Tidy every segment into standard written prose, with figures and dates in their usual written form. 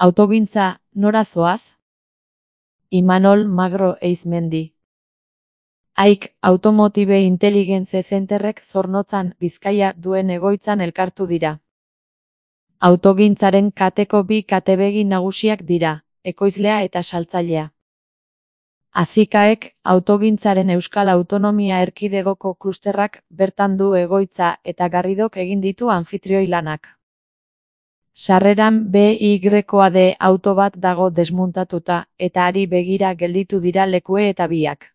Autogintza, nora zoaz? Imanol Magro Eizmendi. AIK Automotive Intelligence Centerrek Zornotzan, Bizkaia duen egoitzan elkartu dira. Autogintzaren kateko bi katebegi nagusiak dira, ekoizlea eta saltzailea. Azikaek autogintzaren Euskal Autonomia Erkidegoko klusterrak bertan du egoitza eta Garridok egin ditu anfitrioi lanak. Sarreran BYD auto bat dago desmuntatuta eta ari begira gelditu dira lekue eta biak.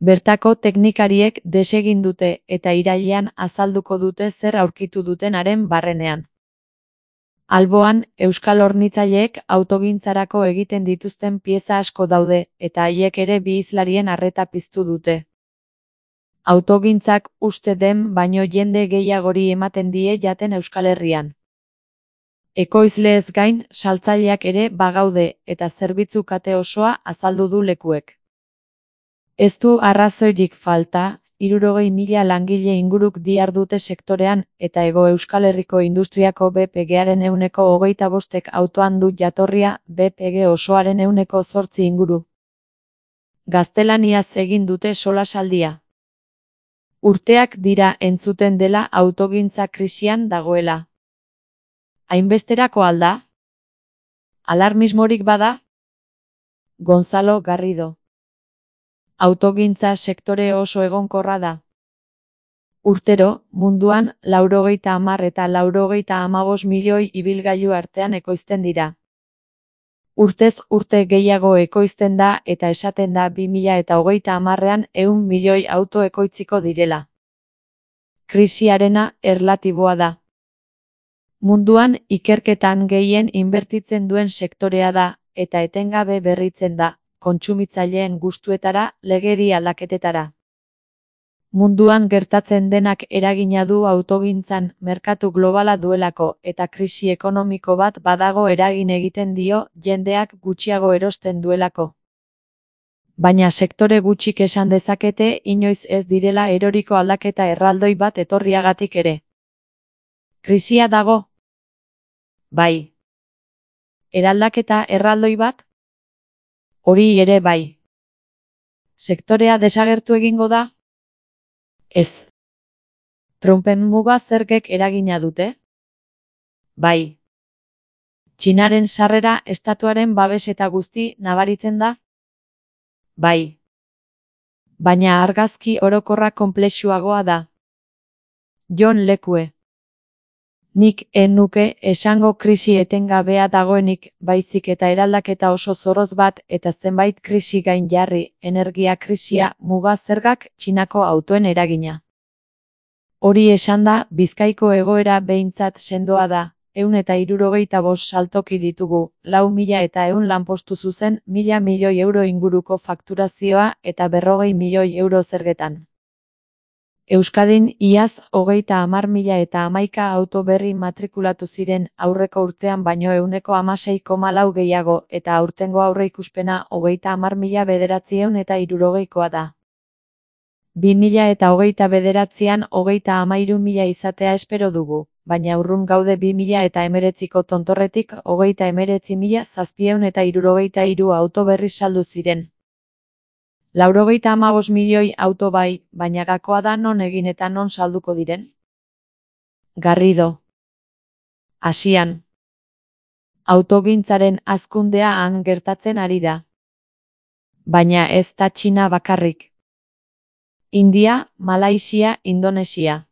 Bertako teknikariek desegin dute eta irailean azalduko dute zer aurkitu duten haren barrenean. Alboan, euskal hornitzaileek autogintzarako egiten dituzten pieza asko daude eta haiek ere bi hizlarien arreta piztu dute. Autogintzak uste den baino jende gehiagori ematen die jaten Euskal Herrian. Ekoizleez gain, saltzaileak ere bagaude eta zerbitzu kate osoa azaldu du lekuek. Ez du arrazoirik falta, 60.000 langile inguruk dihardute sektorean eta Hego Euskal Herriko industriako BPG-aren 25% autoan du jatorria, BPG osoaren 8% inguru. Gaztelaniaz egin dute solasaldia. Urteak dira entzuten dela autogintza krisian dagoela. Hainbesterako alda? Alarmismorik bada? Gonzalo Garrido. Autogintza sektore oso egonkorra da. Urtero, munduan 90 eta 95 milioi ibilgailu artean ekoizten dira. Urtez urte gehiago ekoizten da eta esaten da 2030ean 100 milioi auto ekoitziko direla. Krisiarena erlatiboa da. Munduan ikerketan gehien inbertitzen duen sektorea da eta etengabe berritzen da, kontsumitzaileen gustuetara, legedi aldaketetara. Munduan gertatzen denak eragina du autogintzan, merkatu globala duelako eta krisi ekonomiko bat badago eragin egiten dio jendeak gutxiago erosten duelako. Baina sektore gutxik esan dezakete inoiz ez direla eroriko aldaketa erraldoi bat etorriagatik ere. Krisia dago? Bai. Eraldaketa erraldoi bat? Hori ere bai. Sektorea desagertu egingo da? Ez. Trumpen muga zergek eragina dute? Bai. Txinaren sarrera estatuaren babes eta guzti nabaritzen da? Bai. Baina argazki orokorra konplexuagoa da. Jon Lekue. Nik nuke esango krisi etengabea dagoenik, baizik eta eraldaketa oso zorroz bat eta zenbait krisi gain jarri, energia krisia, muga zergak, Txinako autoen eragina. Hori esanda, Bizkaiko egoera behintzat sendoa da, 165 saltoki ditugu, 4.100 lanpostu zuzen, 1.000 milioi euro inguruko fakturazioa eta 40 milioi euro zergetan. Euskadin iaz 30.011 auto berri matrikulatu ziren aurreko urtean baino 16,4 gehiago eta aurtengo aurreikuspena 30.970 da. 2029an 33.000 izatea espero dugu, baina urrun gaude 2019ko tontorretik 39.773 auto berri saldu ziren. 95 milioi auto bai, baina gakoa da non egin eta non salduko diren? Garrido. Asian. Autogintzaren hazkundea han gertatzen ari da. Baina ez da Txina bakarrik. India, Malaisia, Indonesia.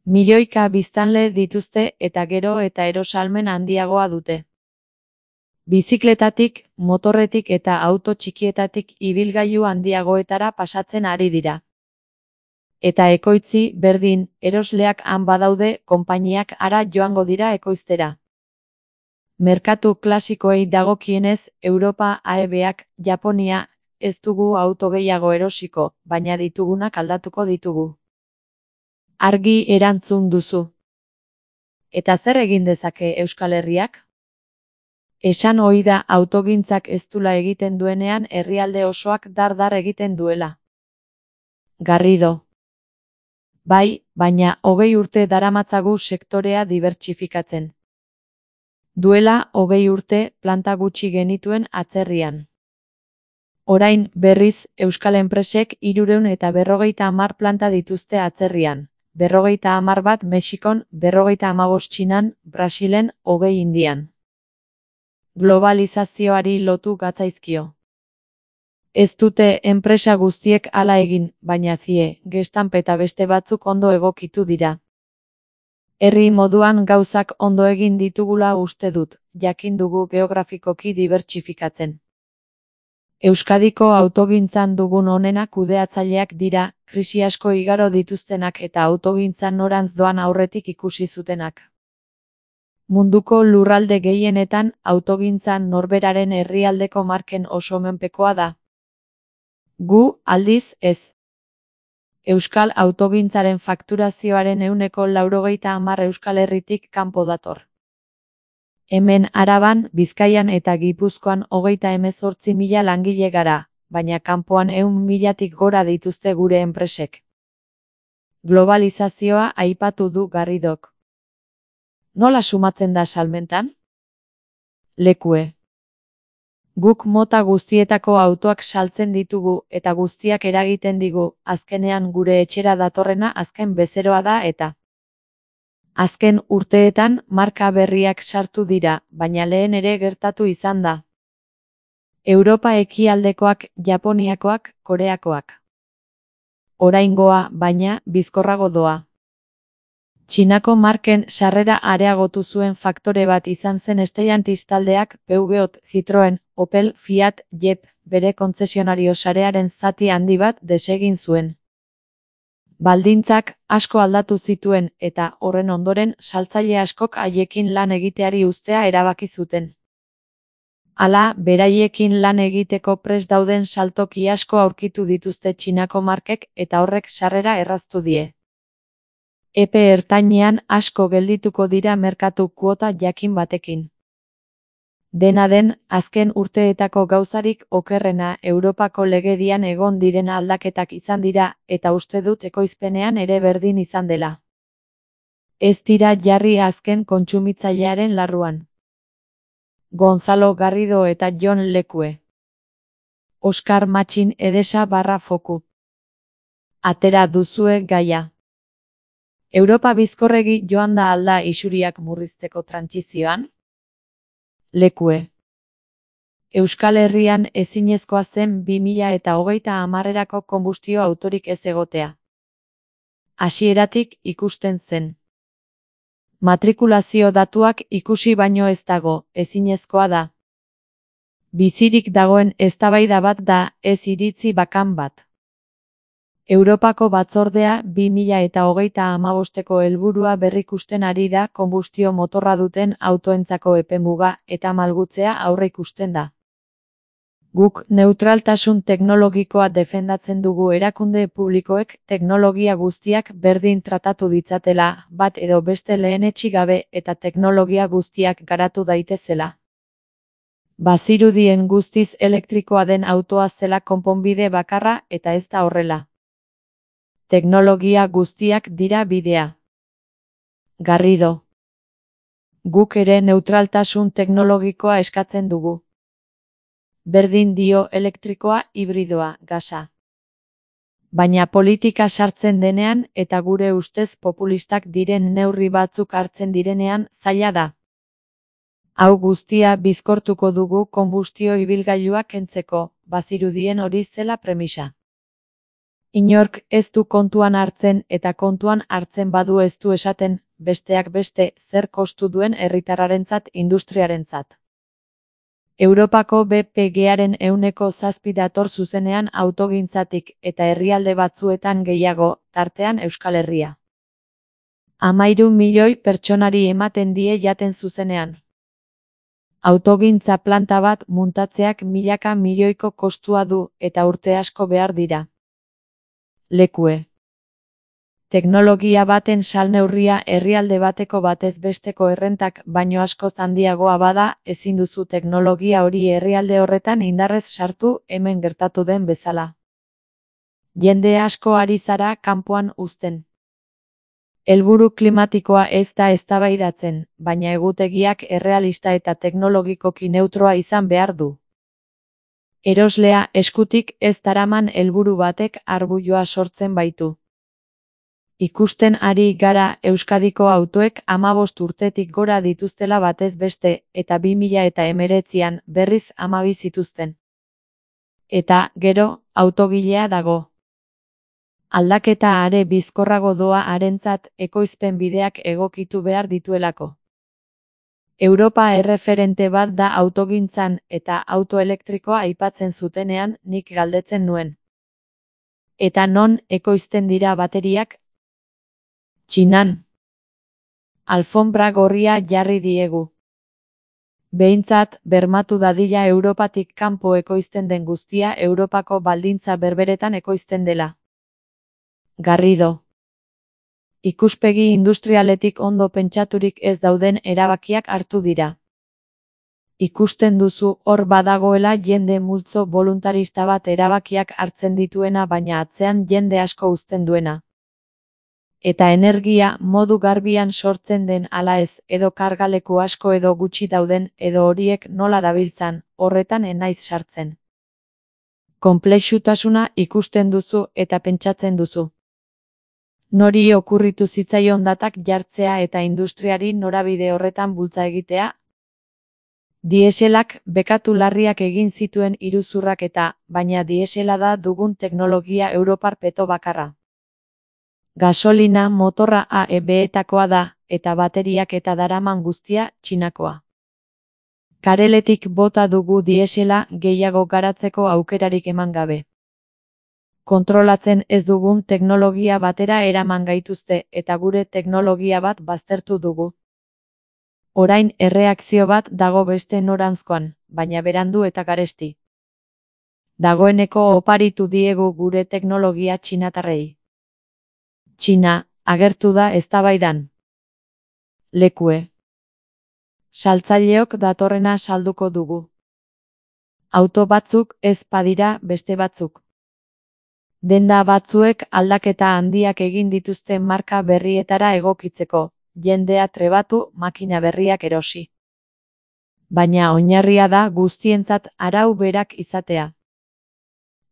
Milioika biztanle dituzte eta gero eta erosalmen handiagoa dute. Bizikletatik, motorretik eta auto txikietatik ibilgailu handiagoetara pasatzen ari dira. Eta ekoitzi, berdin, erosleak han badaude, konpainiak ara joango dira ekoiztera. Merkatu klasikoei dagokienez, Europa, AEBak, Japonia, ez dugu auto gehiago erosiko, baina ditugunak aldatuko ditugu. Argi erantzun duzu. Eta zer egin dezake Euskal Herriak? Esan ohi da autogintzak ez dula egiten duenean herrialde osoak dar egiten duela. Garrido. Bai, baina 20 urte daramatzagu sektorea dibertsifikatzen. Duela 20 urte planta gutxi genituen atzerrian. Orain, berriz, euskal enpresek 350 planta dituzte atzerrian, 51 bat Mexikon, 55 Txinan, Brasilen, 20 Indian. Globalizazioari lotu gatzaizkio. Ez dute enpresa guztiek hala egin, baina zie, Gestamp eta beste batzuk ondo egokitu dira. Herri moduan gauzak ondo egin ditugula uste dut, jakin dugu geografikoki dibertsifikatzen. Euskadiko autogintzan dugun onena kudeatzaileak dira, krisi asko igaro dituztenak eta autogintzan norantz doan aurretik ikusi zutenak. Munduko lurralde gehienetan autogintzan norberaren herrialdeko marken oso menpekoa da. Gu, aldiz, ez. Euskal autogintzaren fakturazioaren 90% Euskal Herritik kanpo dator. Hemen Araban, Bizkaian eta Gipuzkoan 38.000 langile gara, baina kanpoan 100.000-tik gora dituzte gure enpresek. Globalizazioa aipatu du Garridok. Nola sumatzen da salmentan? Lekue. Guk mota guztietako autoak saltzen ditugu eta guztiak eragiten digu, azkenean gure etxera datorrena azken bezeroa da eta. Azken urteetan marka berriak sartu dira, baina lehen ere gertatu izan da. Europa ekialdekoak, Japoniakoak, Koreakoak. Oraingoa, baina, bizkorrago doa. Txinako marken sarrera areagotu zuen faktore bat izan zen Stellantis taldeak, Peugeot, Citroen, Opel, Fiat, Jeep, bere kontzesionario sarearen zati handi bat desegin zuen. Baldintzak asko aldatu zituen eta horren ondoren saltzaile askok haiekin lan egiteari uztea erabaki zuten. Hala, beraiekin lan egiteko prest dauden saltoki asko aurkitu dituzte Txinako markek eta horrek sarrera erraztu die. Epe ertainean asko geldituko dira merkatu kuota jakin batekin. Dena den, azken urteetako gauzarik okerrena Europako legedian egon diren aldaketak izan dira, eta uste dut ekoizpenean ere berdin izan dela. Ez dira jarri azken kontsumitzailearen larruan. Gonzalo Garrido eta Jon Lekue. Oskar Matxin Edesa /Foku. Atera duzue gaia. Europa bizkorregi joan da alda isuriak murrizteko trantsizioan? Lekue. Euskal Herrian ezinezkoa zen 2030erako konbustio autorik ez egotea. Hasieratik ikusten zen. Matrikulazio datuak ikusi baino ez dago, ezinezkoa da. Bizirik dagoen eztabaida bat da, ez iritzi bakan bat. Europako batzordea 2035eko helburua berrikusten ari da konbustio motorra duten autoentzako epemuga eta malgutzea aurreikusten da. Guk neutraltasun teknologikoa defendatzen dugu erakunde publikoek teknologia guztiak berdin tratatu ditzatela, bat edo beste lehenetsi gabe eta teknologia guztiak garatu daitezela. Bazirudien guztiz elektrikoa den autoa zela konponbide bakarra eta ez da horrela. Teknologia guztiak dira bidea. Garrido. Guk ere neutraltasun teknologikoa eskatzen dugu. Berdin dio elektrikoa, hibridoa, gasa. Baina politika sartzen denean eta gure ustez populistak diren neurri batzuk hartzen direnean zaila da. Hau guztia bizkortuko dugu konbustio ibilgailuak kentzeko, bazirudien hori zela premisa. Inork ez du kontuan hartzen eta kontuan hartzen badu ez du esaten, besteak beste, zer kostu duen herritarrarentzat industriarentzat. Europako BPG-aren 7% dator zuzenean autogintzatik eta herrialde batzuetan gehiago, tartean Euskal Herria. 13 milioi pertsonari ematen die jaten zuzenean. Autogintza planta bat muntatzeak milaka milioiko kostua du eta urte asko behar dira. Lekue. Teknologia baten salneurria herrialde bateko batez besteko errentak baino askoz handiagoa bada, ezin duzu teknologia hori herrialde horretan indarrez sartu hemen gertatu den bezala. Jende asko ari zara kanpoan uzten. Helburu klimatikoa ez da eztabaidatzen, baina egutegiak errealista eta teknologikoki neutroa izan behar du. Eroslea eskutik ez daraman helburu batek arbuioa sortzen baitu. Ikusten ari gara Euskadiko autoek 15 urtetik gora dituztela batez beste, eta 2019an berriz 12 zituzten. Eta, gero, autogilea dago. Aldaketa are bizkorrago doa harentzat ekoizpen bideak egokitu behar dituelako. Europa erreferente bat da autogintzan eta auto elektrikoa aipatzen zutenean nik galdetzen nuen. Eta non ekoizten dira bateriak? Txinan. Alfonbra gorria jarri diegu. Behintzat, bermatu dadila Europatik kanpo ekoizten den guztia Europako baldintza berberetan ekoizten dela. Garrido. Ikuspegi industrialetik ondo pentsaturik ez dauden erabakiak hartu dira. Ikusten duzu hor badagoela jende multzo voluntarista bat erabakiak hartzen dituena baina atzean jende asko uzten duena. Eta energia modu garbian sortzen den ala ez, edo kargaleku asko edo gutxi dauden, edo horiek nola dabiltzan, horretan ez naiz sartzen. Konplexutasuna ikusten duzu eta pentsatzen duzu. Nori okurritu zitzaion datak jartzea eta industriari norabide horretan bultza egitea? Dieselak bekatu larriak egin zituen iruzurrak eta, baina diesela da dugun teknologia europar peto bakarra. Gasolina motorra AEB-etakoa da, eta bateriak eta daraman guztia Txinakoa. Kareletik bota dugu diesela gehiago garatzeko aukerarik eman gabe. Kontrolatzen ez dugun teknologia batera eraman gaituzte eta gure teknologia bat baztertu dugu. Orain erreakzio bat dago beste noranzkoan, baina berandu eta garesti. Dagoeneko oparitu diegu gure teknologia txinatarrei. Txina, agertu da eztabaidan. Lekue. Saltzaileok datorrena salduko dugu. Auto batzuk ez badira beste batzuk. Denda batzuek aldaketa handiak egin dituzte marka berrietara egokitzeko, jendea trebatu makina berriak erosi. Baina oinarria da guztientzat arau berak izatea.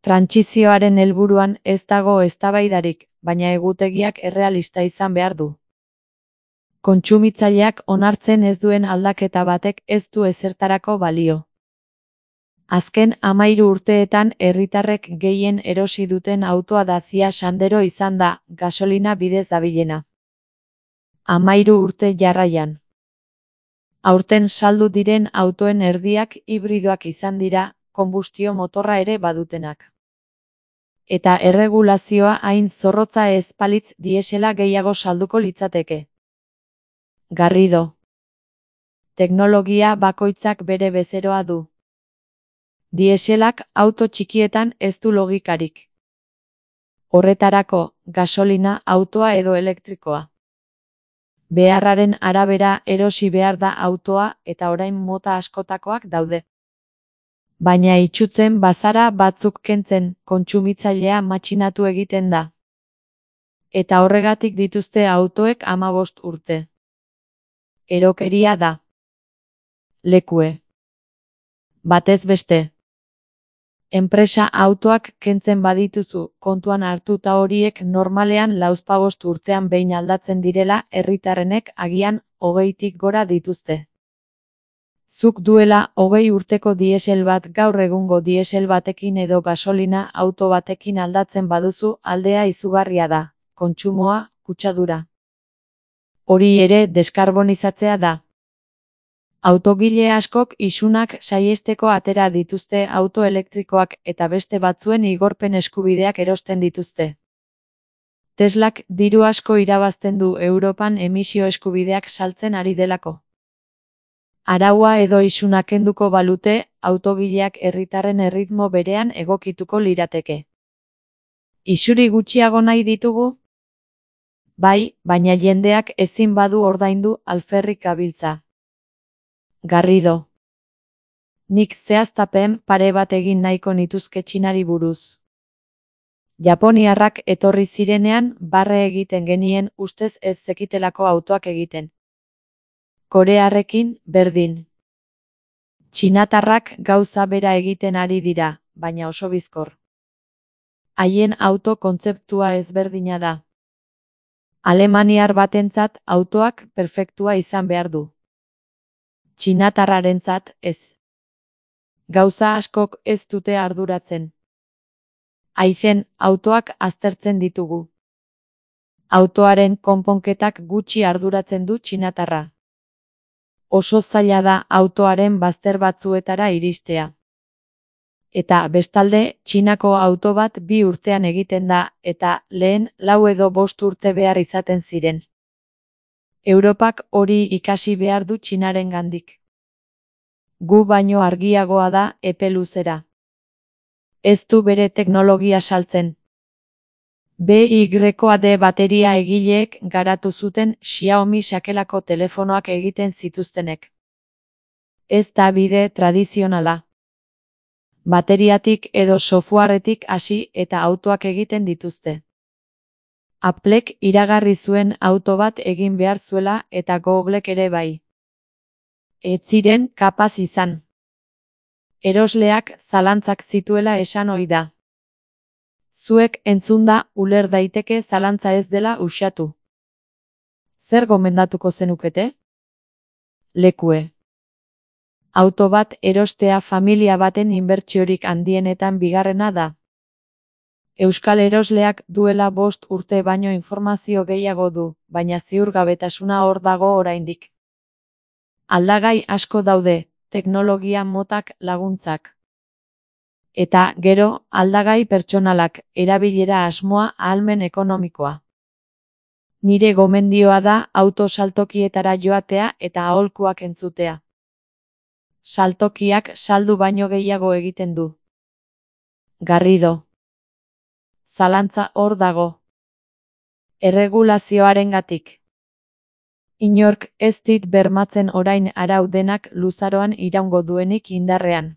Trantsizioaren helburuan ez dago eztabaidarik, baina egutegiak errealista izan behar du. Kontsumitzaileak onartzen ez duen aldaketa batek ez du ezertarako balio. Azken 13 urteetan herritarrek gehien erosi duten autoa Dacia Sandero izan da, gasolina bidez dabilena. 13 urte jarraian. Aurten saldu diren autoen erdiak hibridoak izan dira, konbustio motorra ere badutenak. Eta erregulazioa hain zorrotza ez balitz diesela gehiago salduko litzateke. Garrido. Teknologia bakoitzak bere bezeroa du. Dieselak auto txikietan ez du logikarik. Horretarako, gasolina autoa edo elektrikoa. Beharraren arabera erosi behar da autoa eta orain mota askotakoak daude. Baina itsutzen bazara batzuk kentzen, kontsumitzailea matxinatu egiten da. Eta horregatik dituzte autoek 15 urte. Erokeria da. Lekue. Batez beste. Enpresa autoak kentzen badituzu, kontuan hartuta horiek normalean 45 urtean behin aldatzen direla herritarrenek agian 20tik gora dituzte. Zuk duela 20 urteko diesel bat gaur egungo diesel batekin edo gasolina auto batekin aldatzen baduzu aldea izugarria da, kontsumoa, kutsadura. Hori ere deskarbonizatzea da. Autogile askok isunak saihesteko atera dituzte auto elektrikoak eta beste batzuen igorpen eskubideak erosten dituzte. Teslak diru asko irabazten du Europan emisio eskubideak saltzen ari delako. Araua edo isuna kenduko balute, autogileak herritarren erritmo berean egokituko lirateke. Isuri gutxiago nahi ditugu? Bai, baina jendeak ezin badu ordaindu alferrik gabiltza. Garrido. Nik zehaztapen pare bat egin nahiko nituzke Txinari buruz. Japoniarrak etorri zirenean barre egiten genien ustez ez zekitelako autoak egiten. Korearrekin berdin. Txinatarrak gauza bera egiten ari dira, baina oso bizkor. Haien auto kontzeptua ezberdina da. Alemaniar batentzat autoak perfektua izan behar du. Txinatarrarentzat ez. Gauza askok ez dute arduratzen. Haizen, autoak aztertzen ditugu. Autoaren konponketak gutxi arduratzen du txinatarra. Oso zaila da autoaren bazter batzuetara iristea. Eta bestalde, Txinako auto bat 2 urtean egiten da, eta lehen 4 edo 5 urte behar izaten ziren. Europak hori ikasi behar du Txinarengandik. Gu baino argiagoa da epe luzera. Ez du bere teknologia saltzen. BYD bateria egileek garatu zuten Xiaomi sakelako telefonoak egiten zituztenek. Ez da bide tradizionala. Bateriatik edo softwaretik hasi eta autoak egiten dituzte. Applek iragarri zuen auto bat egin behar zuela eta Googlek ere bai. Ez ziren kapaz izan. Erosleak zalantzak zituela esan ohi da. Zuek entzunda uler daiteke zalantza ez dela uxatu. Zer gomendatuko zenukete? Lekue. Auto bat erostea familia baten inbertsiorik handienetan bigarrena da. Euskal erosleak duela 5 urte baino informazio gehiago du, baina ziurgabetasuna hor dago oraindik. Aldagai asko daude, teknologia motak laguntzak. Eta, gero, aldagai pertsonalak, erabilera asmoa ahalmen ekonomikoa. Nire gomendioa da auto saltokietara joatea eta aholkuak entzutea. Saltokiak saldu baino gehiago egiten du. Garrido. Zalantza hor dago. Erregulazioarengatik. Inork ez dit bermatzen orain arau denak luzaroan iraungo duenik indarrean.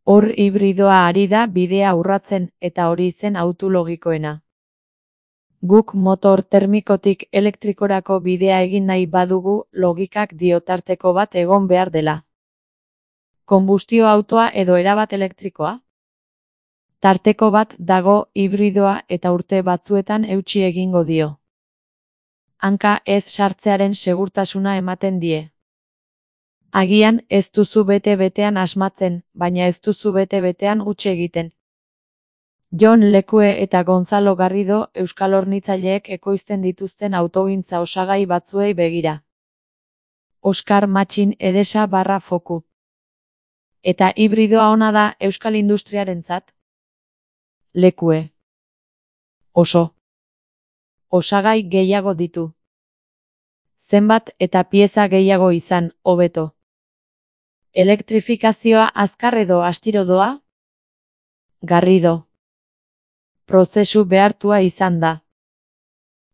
Hor hibridoa ari da bidea urratzen eta hori zen auto logikoena. Guk motor termikotik elektrikorako bidea egin nahi badugu logikak dio tarteko bat egon behar dela. Konbustio autoa edo erabat elektrikoa? Tarteko bat dago hibridoa eta urte batzuetan eutsi egingo dio. Hanka ez sartzearen segurtasuna ematen die. Agian ez duzu bete-betean asmatzen, baina ez duzu bete-betean huts egiten. Jon Lekue eta Gonzalo Garrido euskal hornitzaileek ekoizten dituzten autogintza osagai batzuei begira. Oskar Matxin Edesa /Foku. Eta hibridoa ona da euskal industriarentzat? Lekue. Oso. Osagai gehiago ditu. Zenbat eta pieza gehiago izan, hobeto. Elektrifikazioa azkar edo astiro doa? Garrido. Prozesu behartua izan da.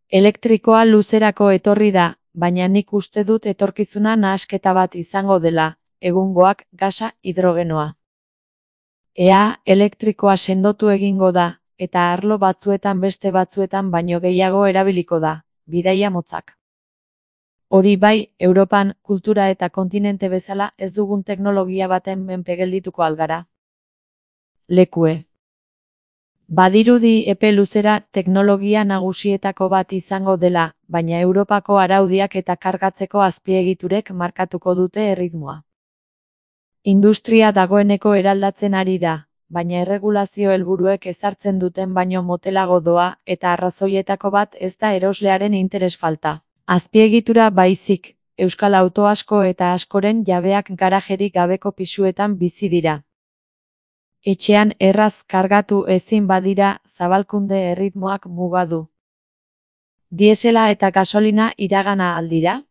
Elektrikoa luzerako etorri da, baina nik uste dut etorkizuna nahasketa bat izango dela, egungoak gasa hidrogenoa. Ea elektrikoa sendotu egingo da, eta arlo batzuetan beste batzuetan baino gehiago erabiliko da, bidaia motzak. Hori bai, Europan, kultura eta kontinente bezala ez dugun teknologia baten menpe geldituko algara. Lekue. Badirudi epe luzera teknologia nagusietako bat izango dela, baina Europako araudiak eta kargatzeko azpiegiturek markatuko dute erritmoa. Industria dagoeneko eraldatzen ari da, baina erregulazio helburuek ezartzen duten baino motelago doa eta arrazoietako bat ez da eroslearen interes falta. Azpiegitura baizik, euskal auto asko eta askoren jabeak garajerik gabeko pisuetan bizi dira. Etxean erraz kargatu ezin badira zabalkunde erritmoak mugadu. Diesela eta gasolina iragana aldira?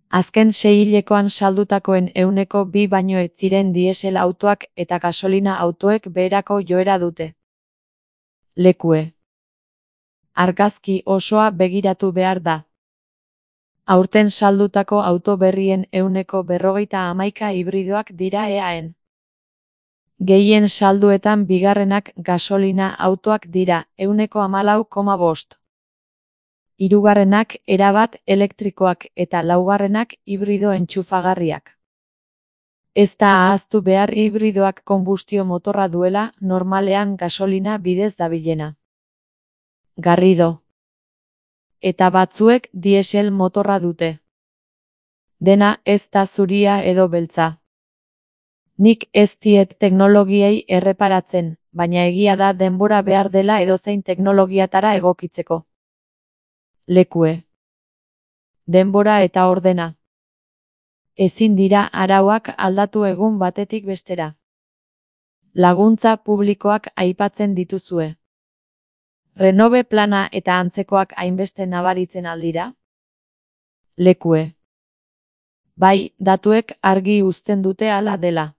Azken 6 hilekoan saldutakoen 2% baino ez ziren diesel autoak eta gasolina autoek beherako joera dute. Lekue. Argazki osoa begiratu behar da. Aurten saldutako auto berrien 51% hibridoak dira eaen. Gehien salduetan bigarrenak gasolina autoak dira, 14,5. Hirugarrenak erabat elektrikoak eta laugarrenak hibrido entxufagarriak. Ez da ahaztu behar hibridoak konbustio motorra duela, normalean gasolina bidez dabilena. Garrido. Eta batzuek diesel motorra dute. Dena ez da zuria edo beltza. Nik ez diet teknologiei erreparatzen, baina egia da denbora behar dela edozein teknologiatara egokitzeko. Lekue. Denbora eta ordena. Ezin dira arauak aldatu egun batetik bestera. Laguntza publikoak aipatzen dituzue. Renove plana eta antzekoak hainbeste nabaritzen aldira? Lekue. Bai, datuek argi uzten dute hala dela.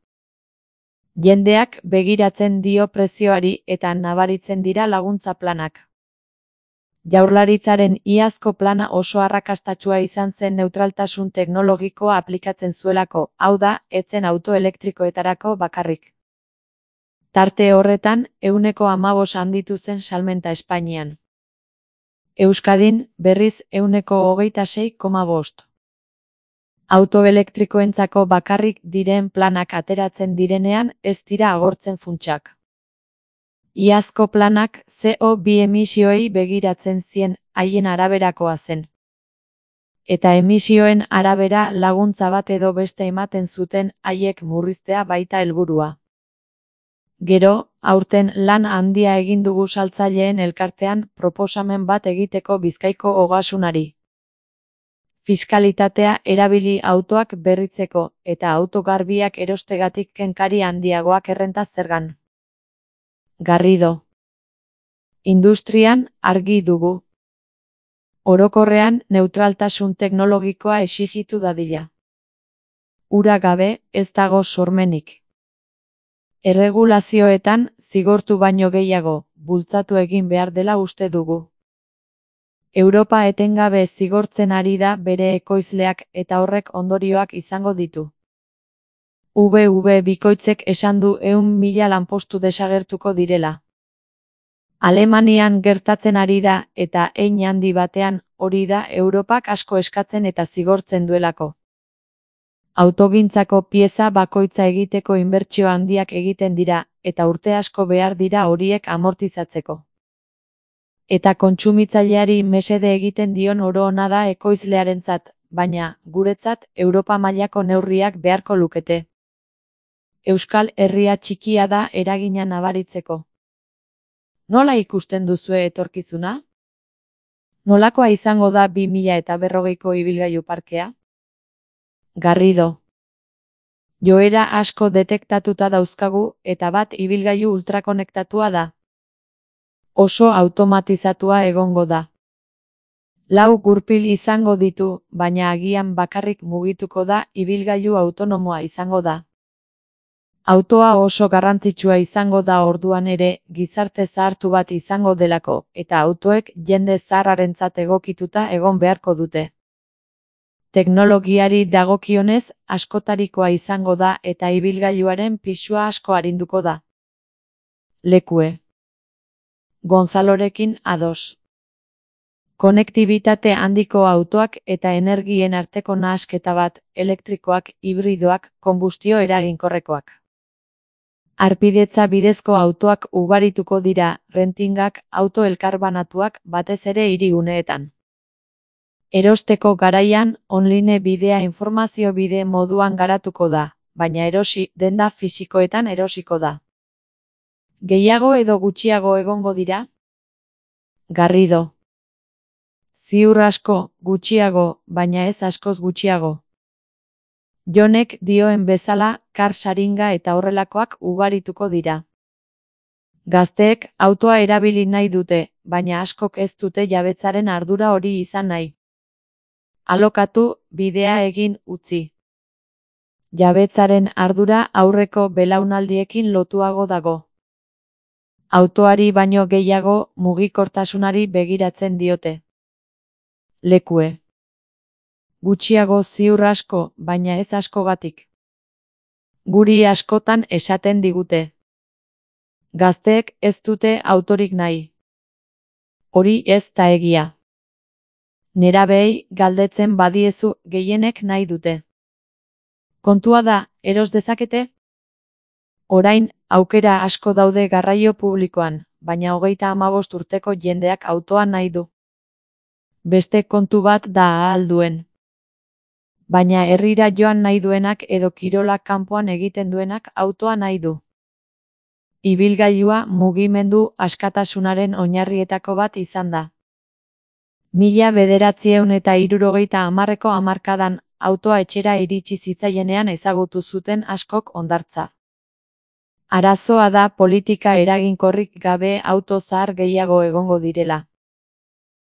Jendeak begiratzen dio prezioari eta nabaritzen dira laguntza planak. Jaurlaritzaren iazko plana oso arrakastatsua izan zen neutraltasun teknologikoa aplikatzen zuelako, hau da, ez zen auto elektrikoetarako bakarrik. Tarte horretan, 15% handitu zen salmenta Espainian. Euskadin, berriz 26,5%. Auto elektrikoentzako bakarrik diren planak ateratzen direnean ez dira agortzen funtsak. Iazko planak CO2 emisioei begiratzen zien, haien araberakoa zen. Eta emisioen arabera laguntza bat edo beste ematen zuten haiek murriztea baita helburua. Gero, aurten lan handia egin dugu saltzaileen elkartean proposamen bat egiteko Bizkaiko ogasunari. Fiskalitatea erabili autoak berritzeko eta auto garbiak erostegatik kenkari handiagoak errenta zergan. Garrido. Industrian argi dugu. Orokorrean neutraltasun teknologikoa exigitu dadila. Ura gabe ez dago sormenik. Erregulazioetan zigortu baino gehiago, bultzatu egin behar dela uste dugu. Europa etengabe zigortzen ari da bere ekoizleak eta horrek ondorioak izango ditu. VV bikoitzek esan du 100.000 lanpostu desagertuko direla. Alemanian gertatzen ari da eta hein handi batean hori da Europak asko eskatzen eta zigortzen duelako. Autogintzako pieza bakoitza egiteko inbertsio handiak egiten dira eta urte asko behar dira horiek amortizatzeko. Eta kontsumitzaileari mesede egiten dion oro ona da ekoizlearentzat, baina, guretzat, Europa mailako neurriak beharko lukete. Euskal Herria txikia da eragina nabaritzeko. Nola ikusten duzue etorkizuna? Nolakoa izango da 2040ko ibilgailu parkea? Garrido. Joera asko detektatuta dauzkagu eta bat ibilgailu ultrakonektatua da. Oso automatizatua egongo da. 4 gurpil izango ditu, baina agian bakarrik mugituko da ibilgailu autonomoa izango da. Autoa oso garrantzitsua izango da orduan ere, gizarte zahartu bat izango delako, eta autoek jende zaharrarentzat egokituta egon beharko dute. Teknologiari dagokionez, askotarikoa izango da eta ibilgailuaren pisua asko arinduko da. Lekue. Gonzalorekin ados. Konektibitate handiko autoak eta energien arteko nahasketa bat, elektrikoak, hibridoak, konbustio eraginkorrekoak. Harpidetza bidezko autoak ugarituko dira, rentingak, auto elkarbanatuak, batez ere hiriguneetan. Erosteko garaian, online bidea informazio bide moduan garatuko da, baina erosi denda fisikoetan erosiko da. Gehiago edo gutxiago egongo dira? Garrido. Ziur asko, gutxiago, baina ez askoz gutxiago. Jonek dioen bezala, kar saringa eta horrelakoak ugarituko dira. Gazteek autoa erabili nahi dute, baina askok ez dute jabetzaren ardura hori izan nahi. Alokatu, bidea egin utzi. Jabetzaren ardura aurreko belaunaldiekin lotuago dago. Autoari baino gehiago mugikortasunari begiratzen diote. Lekue. Gutxiago ziur asko, baina ez askogatik. Guri askotan esaten digute. Gazteek ez dute autorik nahi. Hori ez da egia. Nerabeei galdetzen badiezu gehienek nahi dute. Kontua da, eros dezakete? Orain, aukera asko daude garraio publikoan, baina 35 urteko jendeak autoa nahi du. Beste kontu bat da ahal duen. Baina herrira joan nahi duenak edo kirolak kanpoan egiten duenak autoa nahi du. Ibilgailua mugimendu askatasunaren oinarrietako bat izan da. 1970ko hamarkadan autoa etxera iritsi zitzaienean ezagutu zuten askok hondartza. Arazoa da politika eraginkorrik gabe auto zahar gehiago egongo direla.